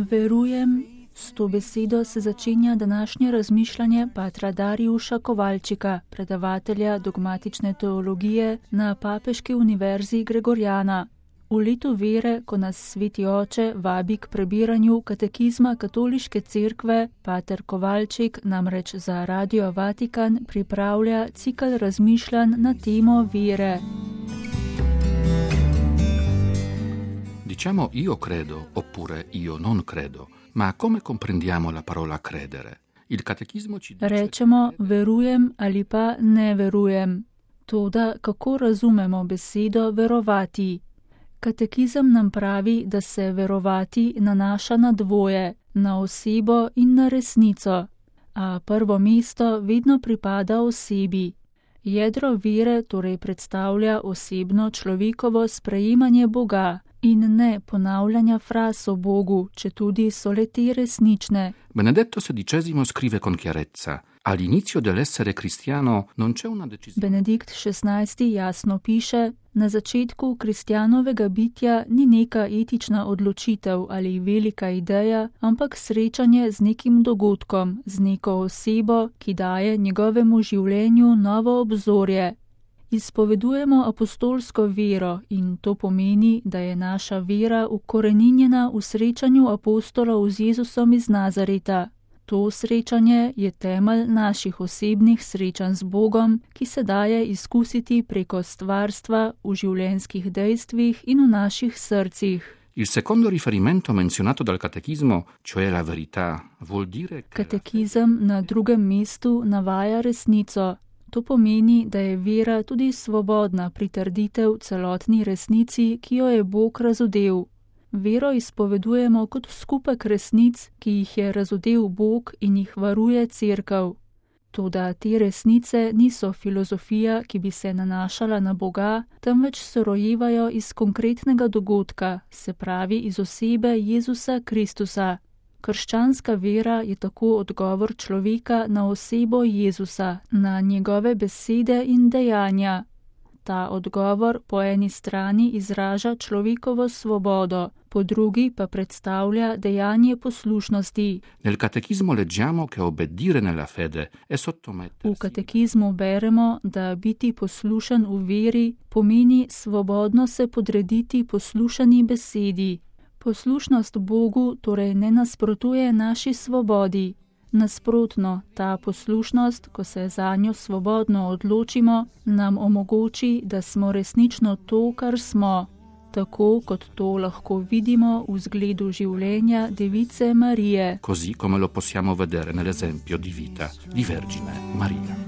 Verujem, s to besedo se začenja današnje razmišljanje patra Darijuša Kovalčika, predavatelja dogmatične teologije na Papeški univerzi Gregorjana. V letu vere, ko nas Sveti Oče vabi k prebiranju katekizma Katoliške cerkve, pater Kovalčik namreč za Radio Vatikan pripravlja cikel razmišljanj na temo vere. Diciamo io credo oppure io non credo, ma come comprendiamo la parola credere? Il catechismo ci dice... Rečemo verujem ali pa ne verujem. Toda kako razumemo besedo verovati? Katekizem nam pravi, da se verovati nanaša na dvoje, na osebo in na resnico, a prvo mesto vedno pripada osebi. Jedro vere torej predstavlja osebno človekovo sprejemanje Boga in ne ponavljanja fraz o Bogu, četudi so le te resnične. Benedetto XVI scrive con chiarezza: all'inizio dell'essere cristiano non c'è una decisione. Benedikt XVI jasno piše: na začetku kristjanovega bitja ni neka etična odločitev ali velika ideja, ampak srečanje z nekim dogodkom, z neko osebo, ki daje njegovemu življenju novo obzorje. Izpovedujemo apostolsko vero in to pomeni, da je naša vera ukoreninjena v srečanju apostolov z Jezusom iz Nazareta. To srečanje je temelj naših osebnih srečanj z Bogom, ki se daje izkusiti preko stvarstva v življenjskih dejstvih in v naših srcih. Il secondo riferimento menzionato dal catechismo, cioè la verità, vuol dire che Katekizem na drugem mestu navaja resnico. To pomeni, da je vera tudi svobodna pritrditev celotni resnici, ki jo je Bog razodel. Vero izpovedujemo kot skupek resnic, ki jih je razodel Bog in jih varuje cerkev. Toda te resnice niso filozofija, ki bi se nanašala na Boga, temveč se rojevajo iz konkretnega dogodka, se pravi iz osebe Jezusa Kristusa. Krščanska vera je tako odgovor človeka na osebo Jezusa, na njegove besede in dejanja. Ta odgovor po eni strani izraža človekovo svobodo, po drugi pa predstavlja dejanje poslušnosti. Nel catechismo leggiamo che obbedire nella fede è sottomettersi. V katekizmu beremo, da biti poslušen v veri pomeni svobodno se podrediti poslušani besedi. Poslušnost Bogu torej ne nasprotuje naši svobodi. Nasprotno, ta poslušnost, ko se zanjo svobodno odločimo, nam omogoči, da smo resnično to, kar smo, tako kot to lahko vidimo v zgledu življenja Device Marije. Così come lo possiamo vedere nell'esempio di vita di Vergine Maria.